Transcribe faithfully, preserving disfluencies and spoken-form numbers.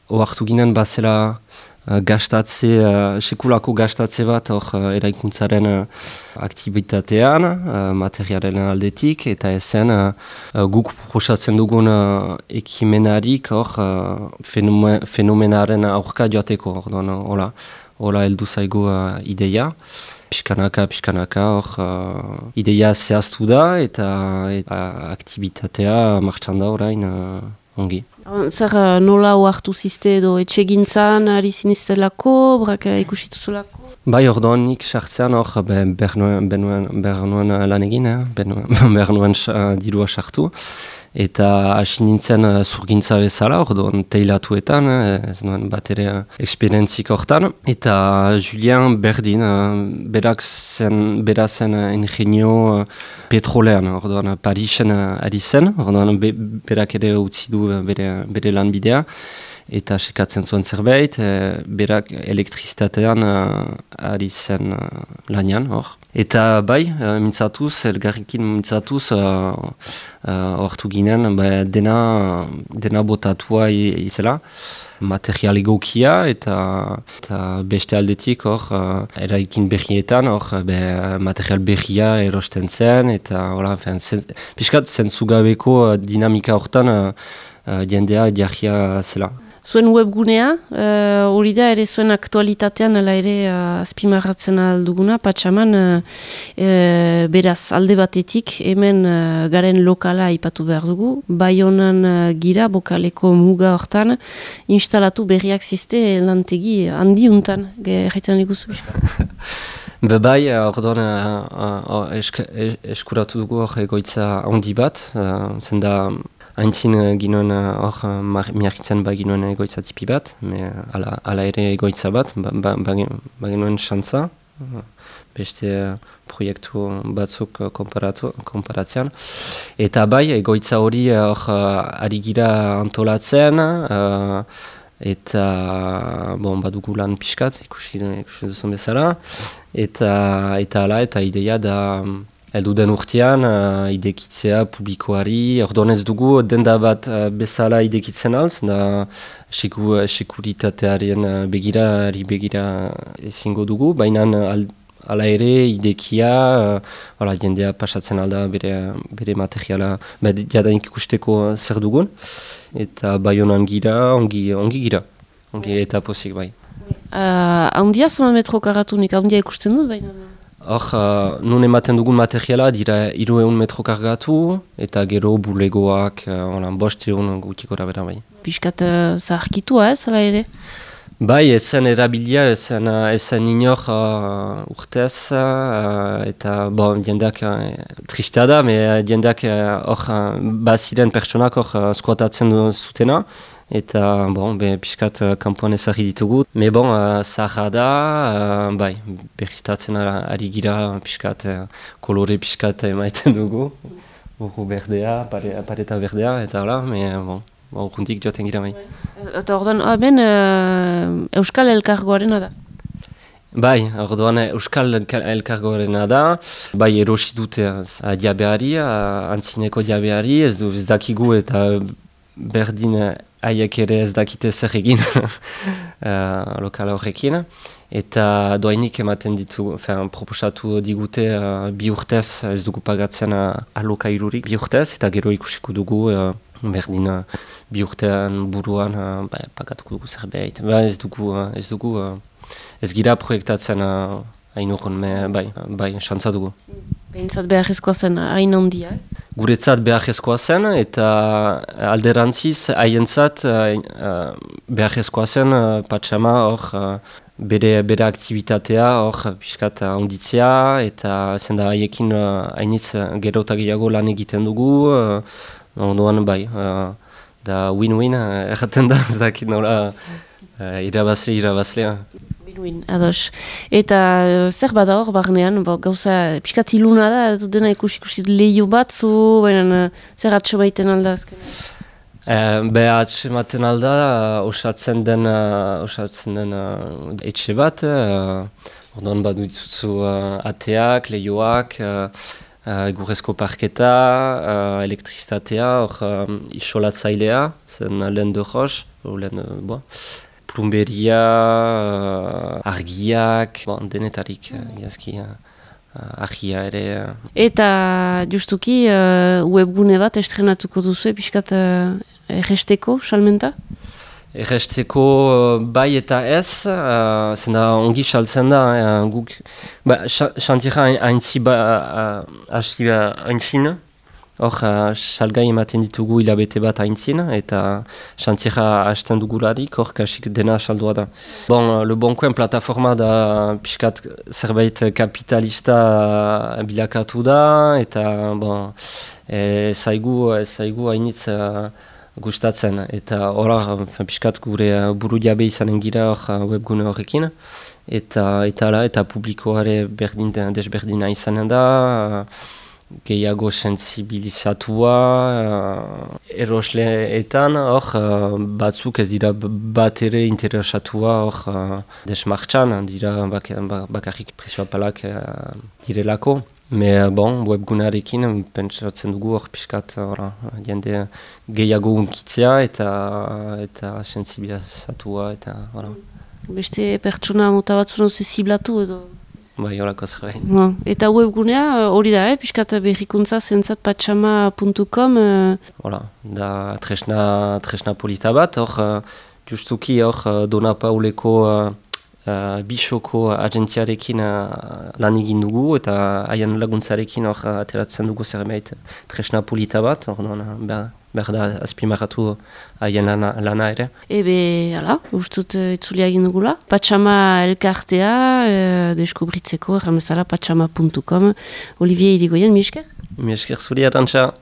ohartu ginen bazela uh, gastatze, uh, sekulako gastatze bat hor uh, eraikuntzaren uh, aktibitatean, uh, materialen aldetik, eta ezen uh, uh, guk proposatzen dugun uh, ekimenarik hor uh, fenomen, fenomenaren aurka joateko, orduan, hola, hola heldu zaigu uh, ideia. Piskanaka, piskanaka, hor, uh, ideia zehaztu da eta, eta aktibitatea martxan da orain uh, ongi. Zer nola oartu ziste edo etxegintzan ari ziniztelako, brak ikusituzulako? Bai, ordoan nik sartzean hor behar nuen lan egin, eh? behar nuen dirua sartu. Eta hasi nintzen uh, zurgintza bezala, orduan teilatuetan, eh, ez nuen bat ere esperientzik hortan. Eta Julien berdin, uh, berak zen, bera zen uh, ingenio uh, petrolean, orduan Parisen uh, ari zen, orduan be, berak ere utzi du uh, bere, bere lanbidea. Eta sekatzen zuen zerbait, e, berak elektrizitatean uh, ari zen uh, lanian, hor. Eta bai, uh, mintzatuz, elgarrikin mintzatuz, hortu uh, uh, ginen, ba, dena, dena botatua izela, material egokia eta, eta beste aldetik, hor, uh, eraikin berrietan, hor, be, material berria erosten zen, eta, hola, fen, zen, piskat zentzugabeko uh, dinamika hortan uh, uh, jendea jarria zela. Zuen webgunea, hori uh, da ere zuen aktualitatean ala ere uh, azpimarratzen alduguna, patxaman, uh, uh, beraz alde batetik hemen uh, garen lokala aipatu behar dugu, Baionan uh, gira, bokaleko muga hortan, instalatu berriak ziste lantegi handi untan, gerretan ikustu bizka. Bebai, orduan uh, uh, esk, eskuratu dugu hor egoitza handi bat, uh, zenda haintzin ginoen hor uh, miarkitzen ba ginoen egoitza tipi bat, me ala, ala ere egoitza bat, ba, ba, ba, ba ginoen xantza, uh, beste uh, proiektu batzuk uh, komparatzean. Eta bai, egoitza hori hor uh, ari gira antolatzen, uh, eta bon, badugu lan pixkat, ikusi, ikusi duzun bezala, eta, eta ala, eta ideia da Edu den urtean, uh, idekitzea publikoari, orduan ez dugu denda bat uh, bezala idekitzen alz, da seku, sekuritatearen uh, begira, begira ezingo dugu, baina ala ere idekia, uh, jendea pasatzen alda bere, bere materiala, jadanik ikusteko zer dugun, eta Baionan gira, ongi, ongi gira, ongi eta pozik bai. Uh, Handia zonan metro karatunik, handia ikusten dut baina? Hor, uh, nun ematen dugun materiala dira hiru ehun metro kargatu eta gero bulegoak, uh, bost ehun gutiko rabera bai. Piskat uh, zaharkitua ez, ala ere? Bai, ezen erabilia, ezen, uh, ezen inor uh, urtez, uh, eta bon, diendak uh, tristea da, me diendak hor uh, uh, baziren pertsonak hor uh, skuatatzen zutena. Eta, bon, be, piskat uh, kanpoan ezagri ditugu. Me bon, uh, zaharra da, uh, bai, berriztatzen ari gira, piskat, uh, kolore piskat emaiten dugu. Urru berdea, pare, pareta berdea, eta hola, me, bon, urruntik joaten gira bai. Eta orduan, ben, uh, Euskal Elkargoarena da? Bai, orduan Euskal Elkargoarena da, bai erosi dute uh, diabeari, uh, antzineko diabeari, ez du ez dakigu eta berdin haiek ere ez dakite zer egin uh, lokala horrekin. Eta doainik ematen ditu, fen, proposatu digute uh, bi urtez, ez dugu pagatzen uh, alokairurik bi urtez, eta gero ikusiko dugu uh, berdin uh, bi urtean buruan uh, ba, pagatuko dugu zerbait. Ba, ez dugu, uh, ez dugu, uh, ez gira proiektatzen uh, hain urrun, me, bai, bai, xantza dugu. Behintzat beharrezkoa zen hain handia ez? Guretzat beharrezkoa zen, eta alderantziz haientzat uh, beharrezkoa zen uh, patxama hor uh, bere, bere aktivitatea hor piskat handitzea, eta zenda haiekin uh, hainitz gero eta gehiago lan egiten dugu, uh, ondoan bai, uh, da win-win uh, erraten da, ez dakit nola uh, irabazle, irabazlea. Win, ados. Eta uh, zer bada hor, barnean, bo, gauza piskat iluna da, ez dena ikusi ikusi lehio batzu, baina uh, zer atxemaiten alda azken? Uh, be atxemaiten alda, uh, osatzen den, uh, osatzen den uh, etxe bat, uh, orduan badu ditzuzu uh, ateak, lehioak, uh, uh, egurrezko parketa, uh, elektrizitatea, hor um, isolatzailea, zen lehen de roche, lehen, uh, bo, plumberia, uh, argiak, bon, denetarik, uh, iazki, uh, argia ere. Uh. Eta justuki uh, webgune bat estrenatuko duzu, pixkat uh, erresteko, salmenta? Erresteko uh, bai eta ez, uh, zenda ongi saltzen da, uh, guk, ba, xantira haintzi ba, hasi uh, haintzin, hor uh, salgai ematen ditugu hilabete bat haintzin, eta xantira hasten dugularik, hor kasik dena saldua da. Bon, uh, Le Bon Coin plataforma da pixkat zerbait kapitalista bilakatu da, eta bon, e, zaigu, zaigu hainitz uh, gustatzen, eta horar pixkat gure buru jabe izanen gira hor webgune horrekin, eta eta ala, eta publikoare berdin, desberdina izanen da, gehiago sensibilizatua, erosleetan hor batzuk ez dira bat ere interesatua hor desmartxan, dira bak, bakarrik prezioa palak direlako. Me bon, webgunarekin pentsatzen dugu hor pixkat jende gehiago unkitzea eta eta sensibilizatua eta ora. Beste pertsona mota batzun hau ziblatu edo? Bai, horako zerbait. No. Eta webgunea hori da, eh? Pixkat berrikuntza zentzat patxama puntu com. Hola, da tresna, tresna polita bat, hor justuki hor Dona Pauleko uh, Uh, Bisoko agentziarekin uh, lan egin dugu eta haien laguntzarekin hor uh, ateratzen dugu zerbait tresna polita bat, hor behar, behar da azpimarratu haien lana, lana ere. Ebe, ala, ustut uh, itzulia egin dugula. Patxama elkartea, uh, deskubritzeko, erramezala patxama puntu com. Olivier Irigoyen, mi esker? Mi esker zuri, Arantxa.